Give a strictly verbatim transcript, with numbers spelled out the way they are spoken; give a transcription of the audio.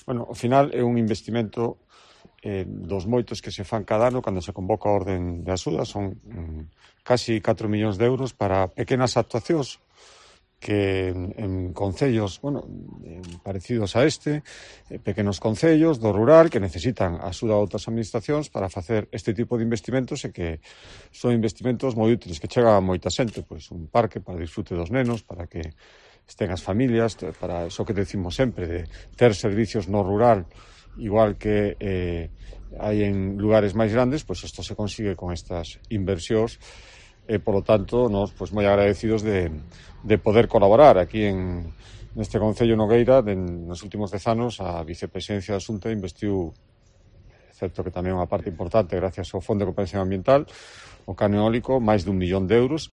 Bueno, ao final é un investimento eh, dos moitos que se fan cada ano cando se convoca a orden de axuda. Son mm, casi catro millóns de euros para pequenas actuacións que en, en concellos, bueno, parecidos a este, eh, pequenos concellos do rural que necesitan a axuda de outras administracións para facer este tipo de investimentos e que son investimentos moi útiles, que chegan a moita xente, pois un parque para disfrute dos nenos, para que estén as familias, para iso que decimos sempre, de ter servicios no rural, igual que eh, hai en lugares máis grandes, pois isto se consigue con estas inversións e, polo tanto, nos pois, moi agradecidos de, de poder colaborar aquí en neste Concello Nogueira. De, nos últimos dez anos a vicepresidencia da Xunta investiu, certo que tamén unha parte importante gracias ao Fondo de Compensación Ambiental, o cano eólico, máis dun millón de euros.